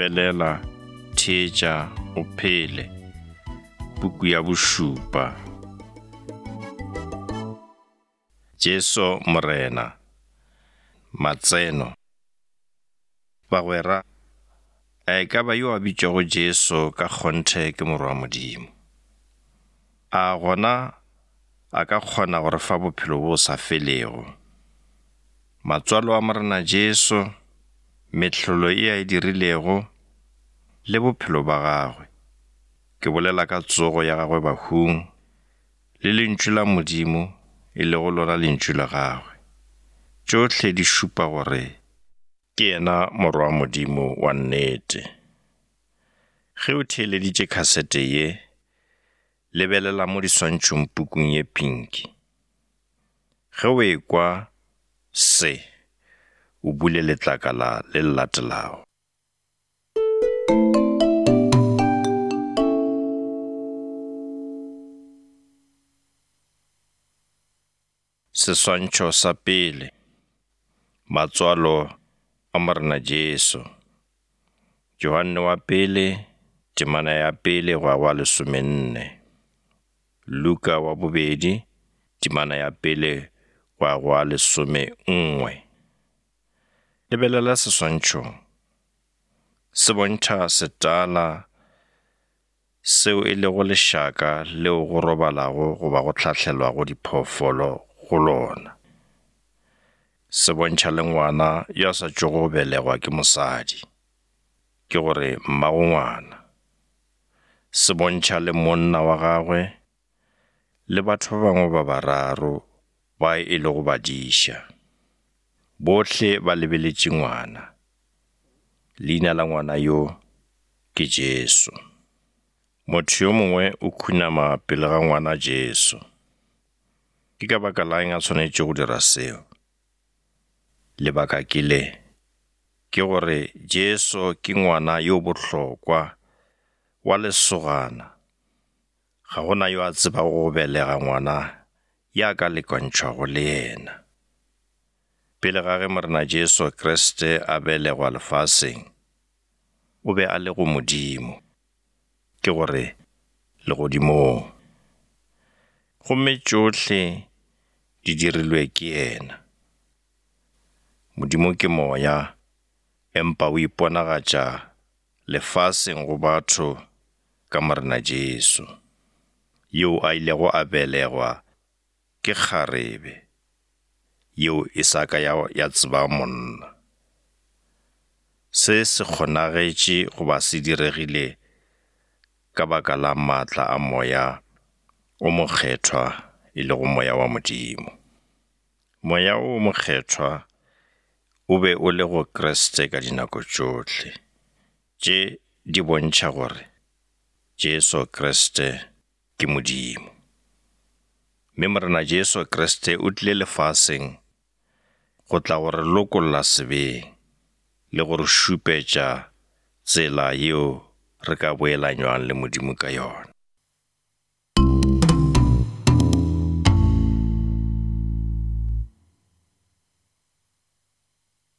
Lebelela, theetša, o phele. Puku ya bošupa. Jesu Morena. Matseno. Bagwera, a e ka ba yo a bitšwago Jesu ka kgonthe ke Morwa wa Modimo? A gona a ka kgona go re fa bophelo bo sa felego? Matswalo a Morena Jesu, mehlolo e a e dirilego, le bophelo ba gagwe, ke bolela ka tsogo ya gagwe bahung, le Lentšu la Modimo, e lego lona Lentšu la gagwe, tšohle di šupa gore ke yena Morwa wa Modimo wa nnete. Ge o theeleditše khasete ye, lebelela mo diswantšhong pukung ye pinki. Ge o ekwa se, o bule letlakala le le latelago. Seswantšho sa pele, Matswalo a Morena Jesu. Johanne wa pele, temana ya pele go ya go wa lesomenne. Luka wa bobedi, temana ya pele go ya go wa lesomenngwe. Lebelela seswantšhong. Se bontšha setala seo e lego lešaka leo go robalago goba go hlahlelwago diphoofolo go lona. Se bontšha le ngwana yo a sa tšwago go belegwa ke mosadi, ke gore mmago ngwana. Se bontšha le monna wa gagwe le batho ba bangwe ba bararo ba e lego badiša. Bohle ba lebeletše ngwana. Leina la ngwana yo ke Jesu. Motho yo mongwe o khunama pele ga ngwana Jesu. Ke ka baka la eng a swanetše go dira seo? Lebaka ke le, ke gore Jesu ke ngwana yo bohlokwa wa lesogana. Ga go na yo a tsebago go belega ngwana ya ka lekantšhwago le yena. Pele ga ge Morena Jesu Kriste a belegwa lefaseng, o be a le go Modimo, ke gore, legodimong. Gomme tšohle di dirilwe ke yena. Modimo ke Moya, empa o iponagatša lefaseng go batho ka Morena Jesu, yo a ilego a belegwa ke kgarebe yeo e sa ka ya, ya tseba monna. Se se kgonagetše goba se diregile ka baka la maatla a Moya o Mokgethwa, e lego Moya wa Modimo. Moya o Mokgethwa o be o le go Kriste ka dinako tšohle. Tše di bontšha gore Jesu Kriste ke Modimo. Mme Morena Jesu Kriste o tlile lefaseng go tla go re lokolla sebeng le go re šupetša tsela yeo re ka boelanywang le Modimo ka yona.